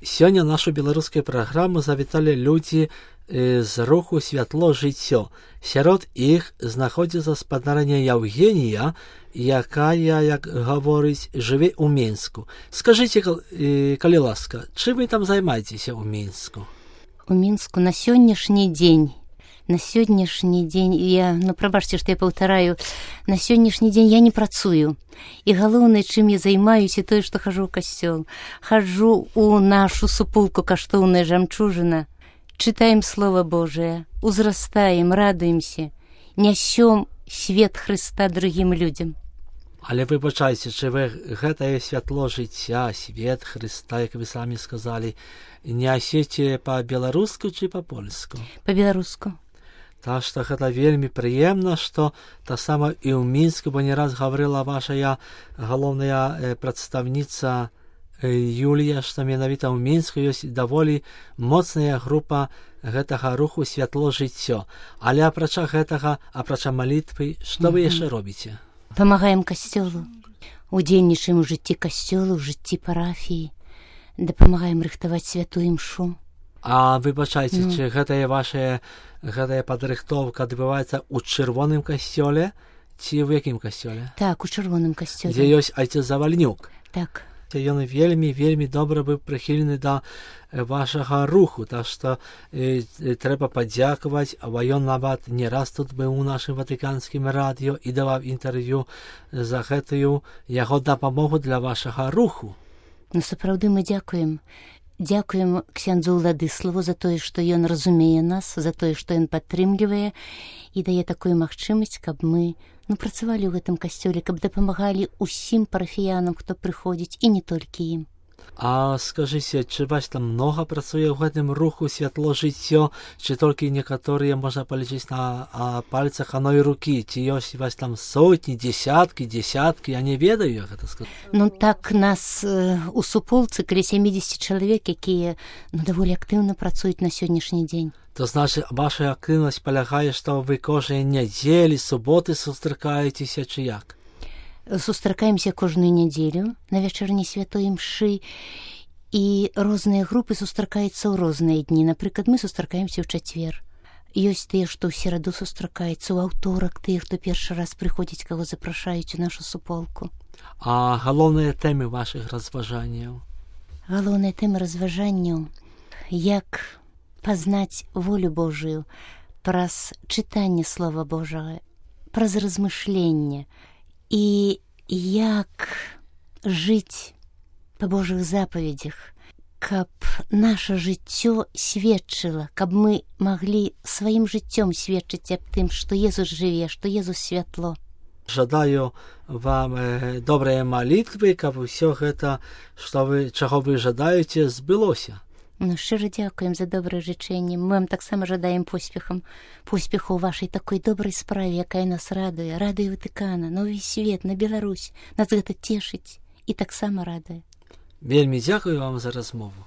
Сёння нашу беларускую праграму завіталі людзі з руху «Святло жыццё». Сярод іх знаходзіцца спадарня Яўгенія, якая, як гаворыць, жыве ў Мінску. Скажыце, калі ласка, чым вы там займаецеся ў Мінску? У Мінску на сённяшні дзень, прабачце, што я паўтараю, на сённяшні дзень я не працую. І галоўнае, чым я займаюся, тое, што хожу ў касцёл. Хаджу ў нашу супулку «Каштоўная жамчужына», чытаем Слова Божие, узрастаем, радуемся, нясём свет Хрыста другім людзям. Але выбачайце, чи ви гэтае святло жыцця, свет Хрыста, як вы самі сказалі, нясеце па-беларуску ці па-польску? Па-беларуску. Так што гэта вельмі прыемна, што таксама і ў Мінску, бо не раз гаварыла ваша галоўная прадстаўніца Юлія, што менавіта ў Мінску ёсць даволі моцная група гэтага руху «Святло жыццё». Але апрача гэтага, апрача малітвы, што вы яшчэ робіце? Памагаем касцёлу, удзельнічаем у жыцці касцёлу, у жыцці парафіі, дапамагаем рыхтаваць святую імшу. А выбачайце, чи гэтая падрыхтоўка адбываецца ў чырвоным касцёле, ці ў якім касцёле? Так, у чырвоным касцёле. Дзе ёсць айцец Завальнюк? Так. Ён вельмі добра быў прыхільны да вашага руху, так што трэба падзякаваць, а ён нават не раз тут быў у нашым ватыканскім радыё і даваў інтэрв'ю за гэтую яго дапамогу для вашага руху. Ну, сапраўды мы дзякуем. Дзякуем ксяндзу Ўладыславу за тое, што ён разумее нас, за тое, што ён падтрымлівае і дае такую магчымасць, каб мы працавалі ў гэтым касцёле, каб дапамагалі ўсім парафіянам, хто прыходзіць, і не толькі ім. А скажыце, чи вас там многа працуе ў гэтым руху «Святло жыццё», ці толькі некаторыя можна палічыць на пальцах адной рукі, ці ёсць вас там сотні, десяткі, я не ведаю, як гэта сказаць. Ну так, нас у суполцы каля 70 чалавек, якія даволі актыўна працуюць на сённяшні дзень. То значит, ваша актыўнасць палягае, што вы кожнай нядзелі, суботы сустракаецеся, ці як? Сустракаемся кожную нядзелю на вячэрні святой імшы, і розныя групы сустракаюцца ў розныя дні. Напрыклад, мы сустракаемся ў чацвер. Ёсць тыя, што ў сераду сустракаюцца, ў аўторак тыя, хто першы раз прыходзіць, каго запрашаюць у нашу суполку. А галоўныя тэмы вашых разважанняў? Галоўныя тэмы разважанняў, як пазнаць волю Божую праз чытанне Слова Божага, праз размышленне, і як жыць па Божых запаведзях, каб наша жыццё сведчыла, каб мы маглі сваім жыццём сведчыць аб тым, што Езус жыве, што Езус святло. Жадаю вам добрыя малітвы, каб усё гэта, чаго вы жадаеце, збылося. Шчыра дзякуем за добрае жычэнне. Мы вам таксама жадаем поспеху ў вашай такой добрай справе, якая нас радуе Ватыкана, на ўвесь свет, на Беларусь. Нас гэта цешыць і таксама радуе. Вельмі дзякую вам за размову.